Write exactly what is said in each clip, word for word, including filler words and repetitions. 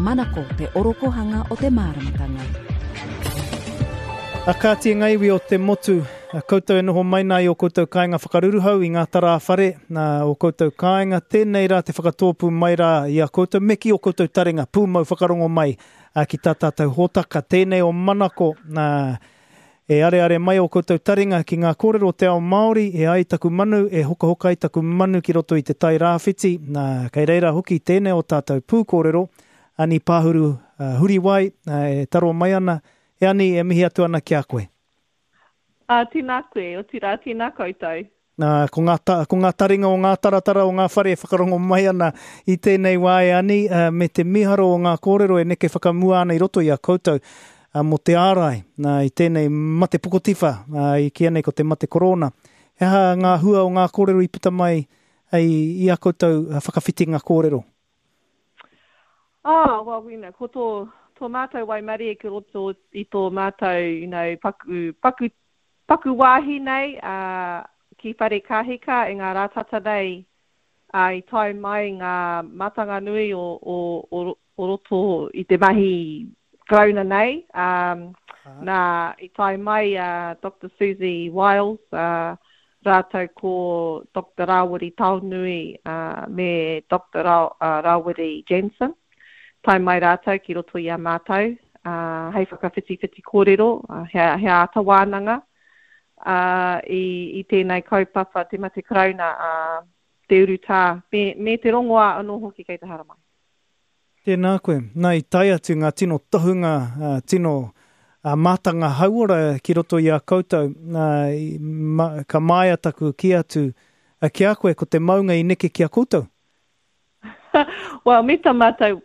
Manako te orokohanga o te māramatanga. A kāti e ngā iwi o te motu, a koutou e noho mai nā i o koutou kāinga whakaruruhau i ngā tarā whare, nā o koutou kāinga, tēnei rā te whakatōpū mai rā i a koutou, me ki o koutou taringa, pūmau whakarongo mai a, ki tā tātou hōtaka, tēnei o Manako, nā, e areare mai o koutou taringa ki ngā kōrero o te ao Māori, e ai taku manu, e hokahoka ai taku manu ki roto i te tai rāwhiti, nā, kei reira hoki tēnei o tātou pūkōrero, Ani Pāhuru uh, Huriwai, uh, e taro mai ana, e Ani, e mihi atu ana ki a koe. Ā, tēnā koe, otirā tēnā koutou. Nā, ko ngā, ta, ko ngā taringa o ngā taratara o ngā whare e whakarongo mai ana i tēnei wā e Ani, uh, me te miharo o ngā kōrero e neke whakamua ana i roto i a koutou uh, mō te ārai nā, i tēnei mate pokotiwha, uh, i kīia nei ko te mate korona. He aha ngā hua o ngā kōrero i puta mai i, i a koutou whakawhitinga kōrero? Oh, well, you know, ko tō, tō mātou waimarie ki roto i tō mātou, you know, paku, paku, paku wāhi nei uh, ki Wharekahika i ngā rā tata nei uh, i tae mai ngā mātanga nui o, o, o, o roto i te mahi Karauna nei. Um, nā, i tae mai uh, Doctor Siouxsie Wiles, uh, rātou ko Doctor Rawiri Taonui uh, me Doctor Ra, uh, Rawiri Jansen. Tae mai rātou ki roto i a mātou, uh, hei whakawhitiwhiti kōrero, uh, he, he āta wānanga uh, i, i tēnei kaupapa te mate Karauna, uh, te urutā, me, me te rongoā anō hoki kei te haramai. Tēnā koe. Nā, i tae atu ngā tino tohunga, uh, tino uh, mātanga hauora ki roto i a koutou. Nā, i, ma, ka māia taku ki atu uh, ki a koe, ko te maunga i neke ki a koutou. Well, me tā mātou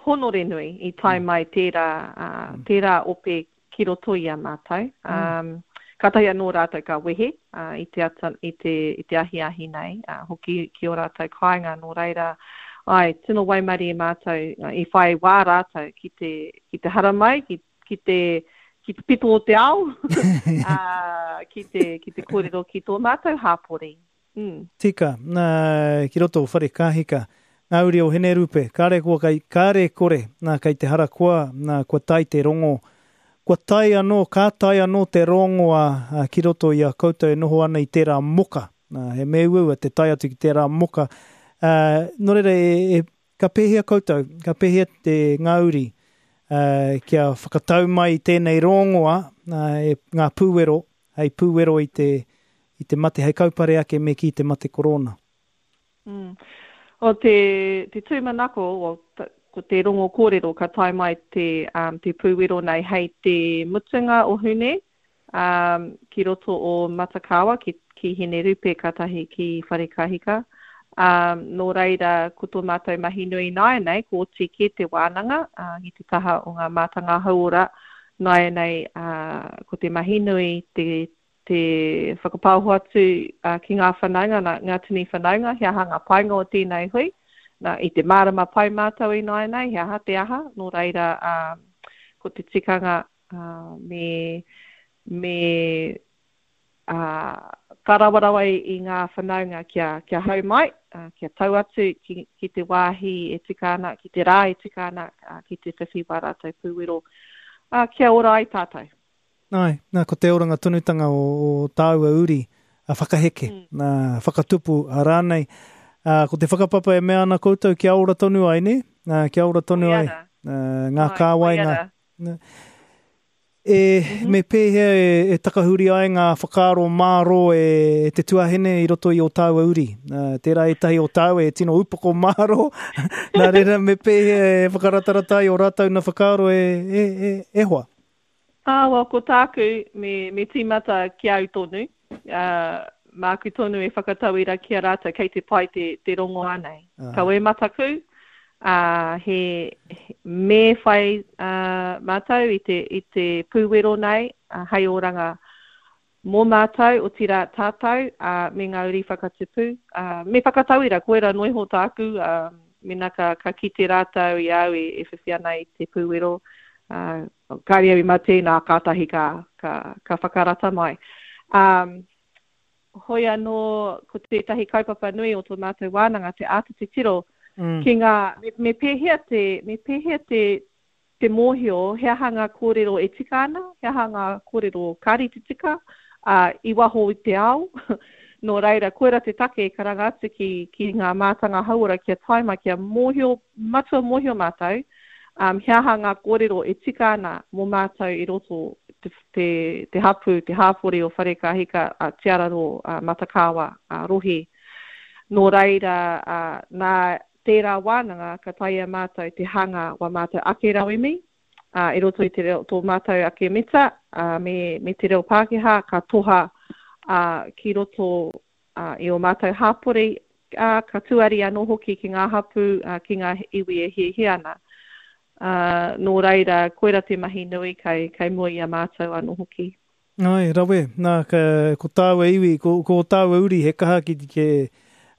honore nui i tae mai tērā, uh, tērā ope ki roto i a mātou. Um, kātahi anō rātou ka wehe uh, i te, ata, i te, i te ahiahi nei, uh, hoki ki o rātou kāinga nō reira. Ai, tino waimarie mātou, uh, i whai wā rātou ki te, ki te haramai, ki, ki te, ki te pito o te ao, uh, ki te, ki te kōrero ki tō mātou hāpori. Mm. Tika, nā, ki roto o Wharekahika, ngā uri o Hinerupe, kāre kua kai, kāre kore, nā, kei te harakoa, nā, kua tae te rongo, kua tae anō, ka tae anō te rongoa a, ki roto i a koutou e noho ana i tērā moka. Nā, he mea uaua te tae atu ki tērā moka. Uh, nō reira, e, e, ka pēhea koutou, ka pēhea te ngā uri, uh, kia whakatau mai i tēnei rongoa, nā, e, ngā pūwero, hei pūwero i te, i te mate, hei kaupare ake me ki te mate korona. Mm. O te, te tūmanako, o, ta, ko te rongo kōrero ka tae mai te, um, te pūwero nei hei te mutunga o Hune, um, ki roto o Matakawa, ki, ki Hinerupe kātahi ki Wharekahika. Um, nō reira, ko tō mātou mahi nui nāianei, ko oti kē te wānanga, uh, ki te taha o ngā mātanga hauora nāianei, uh, ko te mahi nui, te, te whakapaoho atu uh, ki ngā whanaunga, nā, ngā tini whanaunga, he aha ngā painga o tēnei hui. Nā, i te mārama pai mātou i nāianei, he aha te aha, nō reira, um, ko te tikanga uh, me, me uh, kārawarawa i, i ngā whanaunga kia, kia hau mai, uh, kia tau atu ki, ki te wāhi e tika ana, ki te rā e tika ana, uh, ki te whiwhi wā rātou pūwero, uh, kia ora ai tātou. Ai, nā, ko te oranga tonutanga o, o tāua uri, a whakaheke, Mm. nā, whakatupu a rānei. Uh, ko te whakapapa e mea ana koutou kia ora tonu ai, ne? Uh, kia ora tonu ai. Koia rā. Uh, ngā Ai, kāwai, koia ngā rā. Nā. E, Mm-hmm. me pēhea e, e takahuri ai ngā whakaaro māro e, e te tuahine i roto i o tāua uri. Uh, tērā ētahi o tāua e tino upoko māro. Nā reira, me pēhea e whakaratarata ai o rātou na whakaaro e, e, e, e hoa. Ah, well, ko tāku, me, me tīmata ki au tonu. Uh, māku tonu e whakatauira ki a rātou, kei te pai te, te rongoā nei. Ah. Kau e mataku, uh, he, he, me whai uh, mātou i te, i te pūwero nei, uh, hei oranga mō mātou, otirā tātou, uh, me ngā uri whakatupu. Uh, me whakatauira, koera noiho tāku, uh, mena ka, ka kite rātou i au e, e whiwhi ana i te pūwero. Uh, kāre au i mate, nā kātahi ka, ka, ka whakarata mai. Um, hoi anō, ko tētahi kaupapa nui o tō mātou wānanga, te āta titiro Mm. Mm. Ki ngā, me, me pēhea te, me pēhea te, te mōhio, he aha ngā kōrero e tika ana, he aha ngā kōrero kāre te tika, uh, i waho i te ao. Nō reira, koira te take karanga atu ki, ki ngā mātanga hauora kia tae mai, kia mōhio, matua mōhio mātou, um, he aha ngā kōrero e tika ana mō mātou i roto te, te, te hapu, te hāpori o Wharekahika, a Te Araroa, a Matakāwa, a Rohe. Nō reira, uh, nā tērā wānanga ka taea mātou te hanga wa mātou ake rauemi, uh, i roto i te reo, tō mātou ake mita, uh, me, me te reo Pākehā, ka toha uh, ki roto uh, i o mātou hāpori, uh, ka tuari anō hoki ki ngā hapu, uh, ki ngā iwi e hiahia ana. Uh, nō reira, koira te mahi nui kei, kei mua i a mātou anō hoki. Ai, rawe, nā, ka, ko tāua iwi, ko, ko tāua uri, he kaha ki, ki,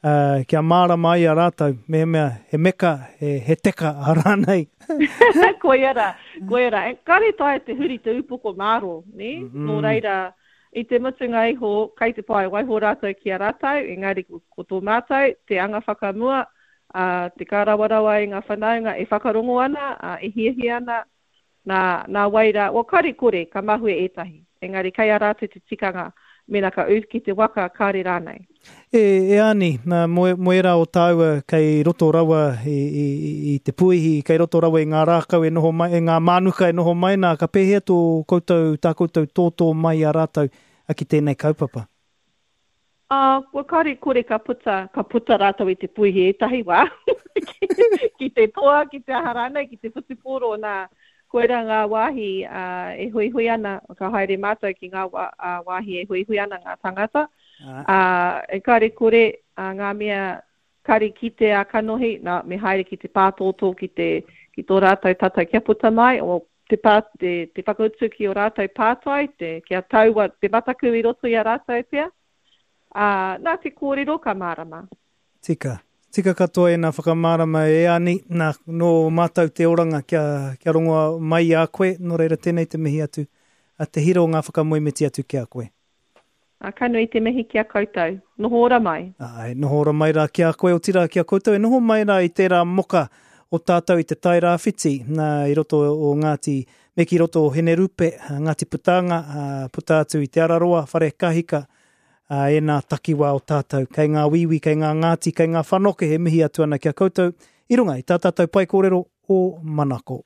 uh, kia mārama ai a rātou, me mea, he meka, he, he teka, a rānei. Koia rā, koia rā. E, kāre taea te huri te upoko māro, ne? Mm -hmm. Nō reira, i te mutunga iho, kei te pai, waiho rātou ki a rātou, engari ko, ko tō mātou, te anga whakamua, uh, te kārawarawa i ngā whanaunga e whakarongo ana, uh, e hiahia ana, nā, nā waira, o kāre kore, ka mahue ētahi. Engari kei a rātou te tikanga, mena ka ū ki te waka, kāre rānei. E, e Ani, nā, mo, mo era o tāua kei roto rawa i, i, i te puihi, kei roto rawa i ngā rākau e noho mai, e ngā mānuka e noho mai nā, ka pēhea tō koutou, tā koutou tōtō mai a rātou a ki tēnei kaupapa? Uh, kua kāre kore ka puta, ka puta rātou i te puihi ētahi wā, ki, ki te toa, ki te aha rānei, ki te whutupōro, nā, koira ngā wāhi uh, e huihui ana, ka haere mātou ki ngā wā, uh, wāhi e huihui ana ngā tangata. Uh, e kāre kore uh, ngā mea kāre kite a kanohi, nā, me haere ki te pātōtō, ki, te, ki tō rātou tatau kia puta mai, o te, pā, te, te whakautu ki o rātou pātai, te, kia taua te mataku i roto i a rātou pea. Uh, nā te kōrero ka mārama. Tika. Tika katoa e nā whakamārama e Ani, nā, nō mātou te oranga kia, kia rongoa mai a koe, nō reira tēnei te mihi atu, a te hiro ngā whakamoemiti atu ki a koe. A, ka nui te mihi ki a koutou. Noho ora mai. Ai, noho ora mai rā ki a koe, otirā ki a koutou. E noho mai rā i tērā moka o tātou i te Tairāwhiti, nā, i roto o Ngāti, me ki roto o Hinerupe, Ngāti Putanga, puta atu i Te Araroa, Wharekahika, a e nā takiwā o tātou. Kei ngā wiwi, kei ngā ngāti, kei ngā whanoke he mihi atu ana ki a koutou i runga i tā tātou pai kōrero o Manako.